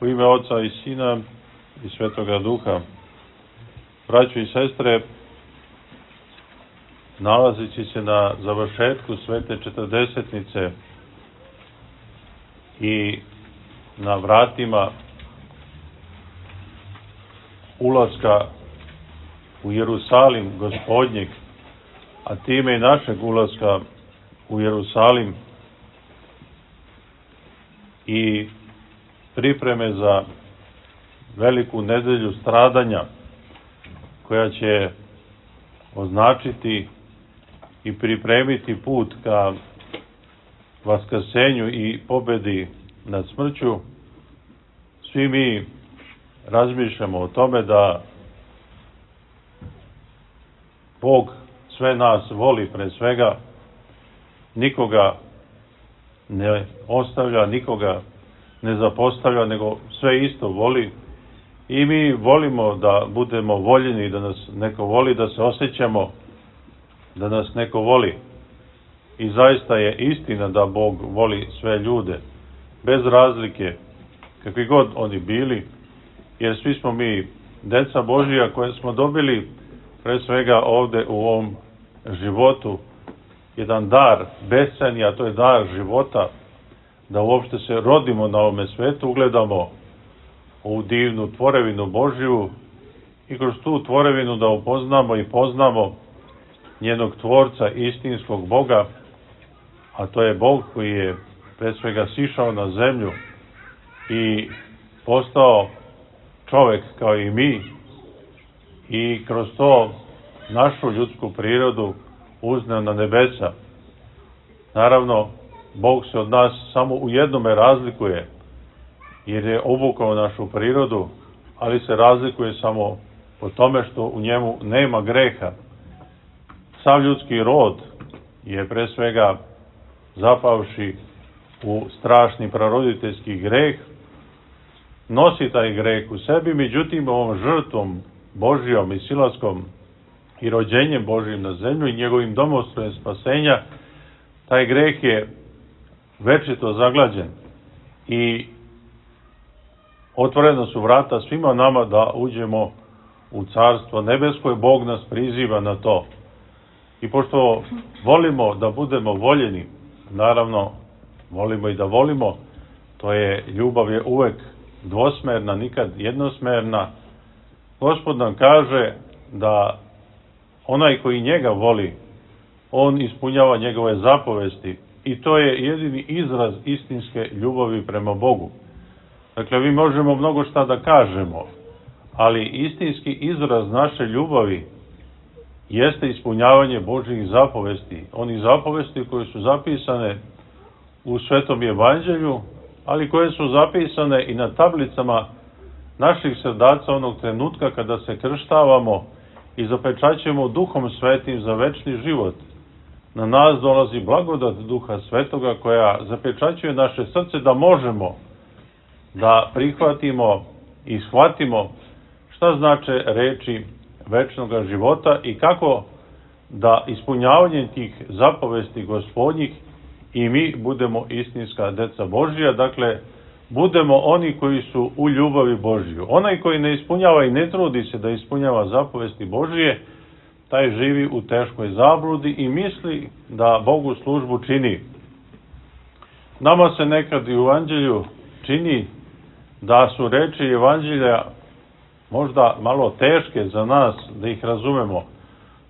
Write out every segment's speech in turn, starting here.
U ime Oca i Sina i Svetoga Duha. Braćo i sestre, nalazeći se na završetku Svete Četrdesetnice i na vratima ulaska u Jerusalim Gospodnjeg, a time i našeg ulaska u Jerusalim i pripreme za veliku nedelju stradanja koja će označiti i pripremiti put ka vaskrsenju i pobedi nad smrću, svi mi razmišljamo o tome da Bog sve nas voli, pre svega nikoga ne ostavlja, nikoga ne zapostavlja, nego sve isto voli. I mi volimo da budemo voljeni, da nas neko voli, da se osjećamo da nas neko voli. I zaista je istina da Bog voli sve ljude, bez razlike, kakvi god oni bili, jer svi smo mi deca Božija koje smo dobili pre svega ovde u ovom životu jedan dar bescenja, a to je dar života, da uopšte se rodimo na ovome svetu, ugledamo u divnu tvorevinu Božiju i kroz tu tvorevinu da upoznamo i poznamo njenog tvorca, istinskog Boga, a to je Bog koji je pre svega sišao na zemlju i postao čovek kao i mi i kroz to našu ljudsku prirodu uzneo na nebesa. Naravno, Bog se od nas samo u jednome razlikuje, jer je obukao našu prirodu, ali se razlikuje samo po tome što u njemu nema greha. Sav ljudski rod je pre svega zapavši u strašni praroditeljski greh, nosi taj greh u sebi, međutim ovom žrtvom Božijom i silaskom i rođenjem Božijim na zemlju i njegovim domostrojem spasenja, taj greh je večito zaglađen i otvorena su vrata svima nama da uđemo u Carstvo nebesko i Bog nas priziva na to. I pošto volimo da budemo voljeni, naravno volimo i da volimo, to je ljubav je uvek dvosmerna, nikad jednosmerna. Gospod nam kaže da onaj koji njega voli, on ispunjava njegove zapovesti i to je jedini izraz istinske ljubavi prema Bogu. Dakle, mi možemo mnogo šta da kažemo, ali istinski izraz naše ljubavi jeste ispunjavanje Božjih zapovesti. Onih zapovesti koje su zapisane u Svetom Evanđelju, ali koje su zapisane i na tablicama naših srdaca onog trenutka kada se krštavamo i zapečaćujemo Duhom Svetim za večni život. Na nas dolazi blagodat Duha Svetoga koja zapečaćuje naše srce da možemo da prihvatimo i shvatimo šta znače reči večnog života i kako da ispunjavanjem tih zapovesti Gospodnjih i mi budemo istinska deca Božija, dakle, budemo oni koji su u ljubavi Božiju. Onaj koji ne ispunjava i ne trudi se da ispunjava zapovesti Božije, taj živi u teškoj zabludi i misli da Bogu službu čini. Nama se nekad i u Evanđelju čini da su reči Evanđelja možda malo teške za nas da ih razumemo,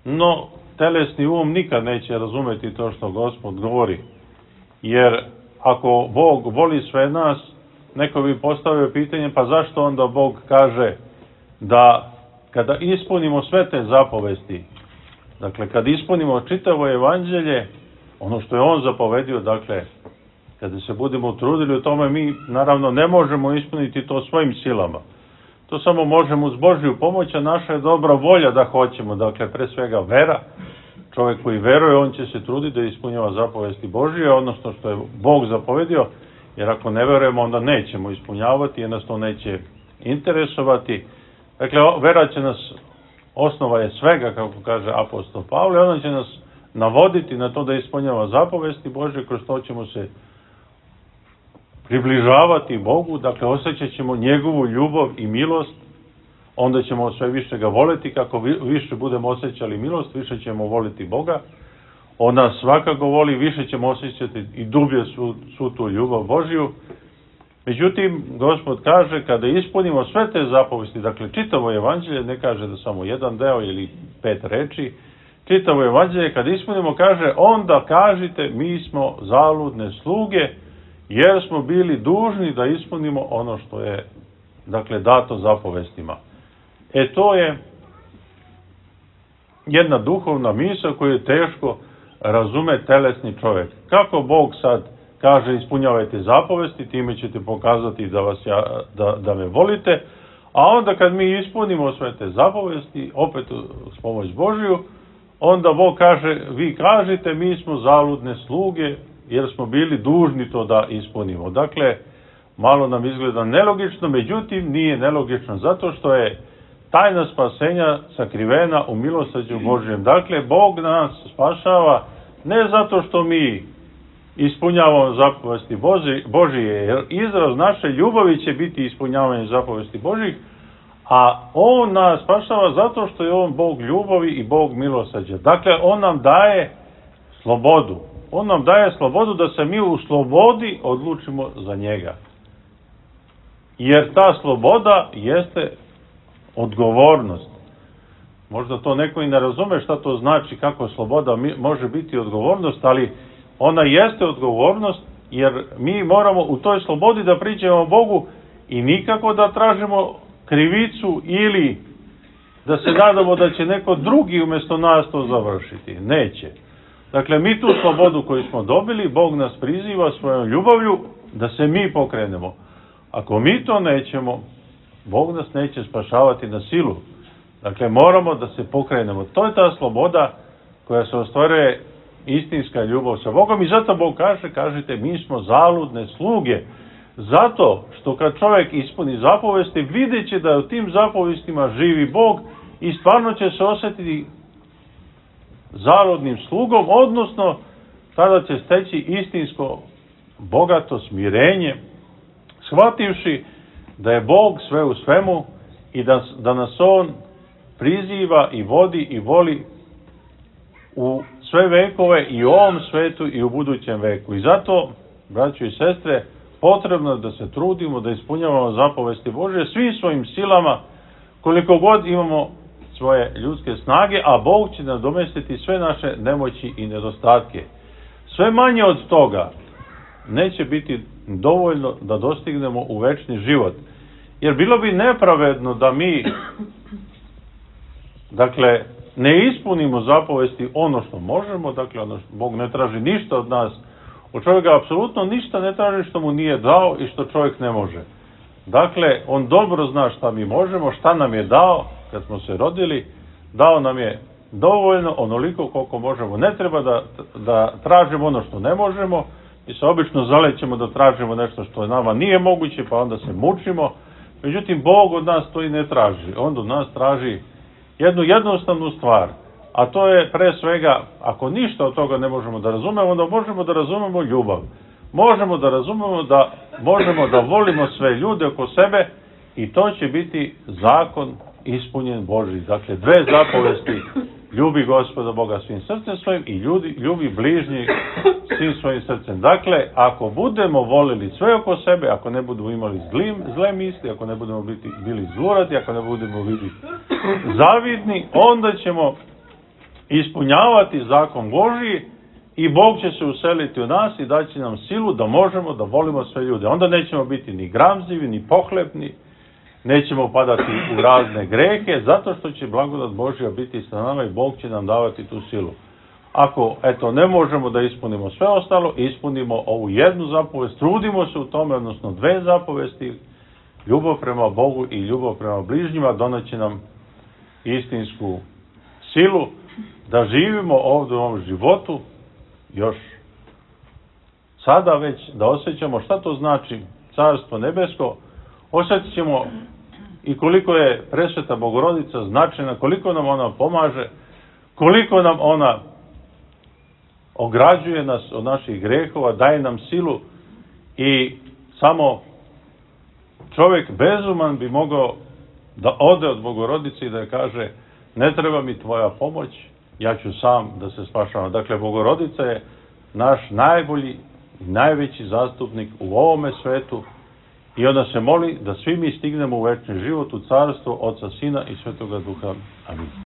no telesni um nikad neće razumeti to što Gospod govori, jer ako Bog voli sve nas, neko bi postavio pitanje, pa zašto onda Bog kaže da kada ispunimo sve te zapovesti, dakle kad ispunimo čitavo Evanđelje, ono što je on zapovedio, dakle kada se budemo trudili u tome, mi naravno ne možemo ispuniti to svojim silama. To samo možemo uz Božju pomoć, a naša je dobra volja da hoćemo. Dakle, pre svega vera. Čovjek koji veruje, on će se truditi da ispunjava zapovesti Božije, odnosno što je Bog zapovedio, jer ako ne verujemo, onda nećemo ispunjavati, jer nas to neće interesovati. Dakle, vera će nas, osnova je svega, kako kaže apostol Pavle, ona će nas navoditi na to da ispunjava zapovesti Božje, kroz to ćemo se približavati Bogu, dakle osjećat ćemo njegovu ljubav i milost, onda ćemo sve više ga voliti, kako više budemo osjećali milost, više ćemo voliti Boga. On nas svakako voli, više ćemo osjećati i dublje svu tu ljubav Božju. Međutim, Gospod kaže, kada ispunimo sve te zapovesti, dakle čitavo evanđelje, ne kaže da samo jedan deo ili 5 reči, čitavo evanđelje, kada ispunimo, kaže, onda kažite, mi smo zaludne sluge, jer smo bili dužni da ispunimo ono što je, dakle, dato zapovestima. To je jedna duhovna misao koju je teško razume telesni čovjek. Kako Bog sad kaže ispunjavajte zapovesti, time ćete pokazati da me volite, a onda kad mi ispunimo sve te zapovesti, opet s pomoć Božju, onda Bog kaže, vi kažete mi smo zaludne sluge, jer smo bili dužni to da ispunimo. Dakle, malo nam izgleda nelogično, međutim nije nelogično zato što je tajna spasenja sakrivena u milosrđu Božjem. Dakle, Bog nas spašava ne zato što mi ispunjavamo zapovesti Božije, jer izraz naše ljubavi će biti ispunjavanje zapovesti Božjih, a On nas spašava zato što je On Bog ljubavi i Bog milosrđa. Dakle, On nam daje slobodu. On nam daje slobodu da se mi u slobodi odlučimo za njega. Jer ta sloboda jeste odgovornost. Možda to neko i ne razume šta to znači, kako sloboda može biti odgovornost, ali ona jeste odgovornost, jer mi moramo u toj slobodi da priđemo Bogu i nikako da tražimo krivicu ili da se nadamo da će neko drugi umjesto nas to završiti. Neće. Dakle, mi tu slobodu koju smo dobili, Bog nas priziva svojom ljubavlju da se mi pokrenemo. Ako mi to nećemo, Bog nas neće spašavati na silu. Dakle, moramo da se pokrenemo. To je ta sloboda koja se ostvaruje istinska ljubav sa Bogom i zato Bog kažete, mi smo zaludne sluge. Zato što kad čovjek ispuni zapovesti, vidjet će da u tim zapovestima živi Bog i stvarno će se osjetiti zaludnim slugom, odnosno tada će steći istinsko bogato smirenje, shvativši da je Bog sve u svemu i da nas On priziva i vodi i voli u sve vekove i u ovom svetu i u budućem veku. I zato, braćo i sestre, potrebno je da se trudimo, da ispunjavamo zapovesti Božje svim svojim silama, koliko god imamo svoje ljudske snage, a Bog će nadomestiti sve naše nemoći i nedostatke. Sve manje od toga neće biti dovoljno da dostignemo u večni život. Jer bilo bi nepravedno da mi, dakle, ne ispunimo zapovesti ono što možemo, dakle, Bog ne traži ništa od nas. Od čovjeka apsolutno ništa ne traži što mu nije dao i što čovjek ne može. Dakle, on dobro zna šta mi možemo, šta nam je dao kad smo se rodili, dao nam je dovoljno, onoliko koliko možemo. Ne treba da tražimo ono što ne možemo i se obično zalećemo da tražimo nešto što nama nije moguće, pa onda se mučimo. Međutim, Bog od nas to i ne traži. On od nas traži jednu jednostavnu stvar, a to je pre svega, ako ništa od toga ne možemo da razumemo, onda možemo da razumemo ljubav. Možemo da razumemo da možemo da volimo sve ljude oko sebe i to će biti zakon ispunjen Božji. Dakle, dve zapovesti, ljubi Gospoda Boga svim srcem svojim i ljubi bližnji svim svojim srcem. Dakle, ako budemo volili sve oko sebe, ako ne budemo imali zle misli, ako ne budemo bili zluradi, ako ne budemo biti zavidni, onda ćemo ispunjavati zakon Božji i Bog će se useliti u nas i daći nam silu da možemo da volimo sve ljude. Onda nećemo biti ni gramzivi, ni pohlepni, nećemo padati u razne grehe, zato što će blagodat Božja biti sa nama i Bog će nam davati tu silu. Ako, ne možemo da ispunimo sve ostalo, ispunimo ovu jednu zapovest, trudimo se u tome, odnosno dve zapovesti, ljubav prema Bogu i ljubav prema bližnjima, doneće nam istinsku silu da živimo ovdje u ovom životu, još sada već da osjećamo šta to znači Carstvo nebesko, osjetit ćemo i koliko je presveta Bogorodica značajna, koliko nam ona pomaže, koliko nam ona ograđuje nas od naših grehova, daje nam silu i samo čovjek bezuman bi mogao da ode od Bogorodice i da je kaže ne treba mi tvoja pomoć, ja ću sam da se spašavam. Dakle, Bogorodica je naš najbolji i najveći zastupnik u ovome svetu i ona se moli da svi mi stignemo u večni život, u carstvo Oca, Sina i Svetoga Duha. Amin.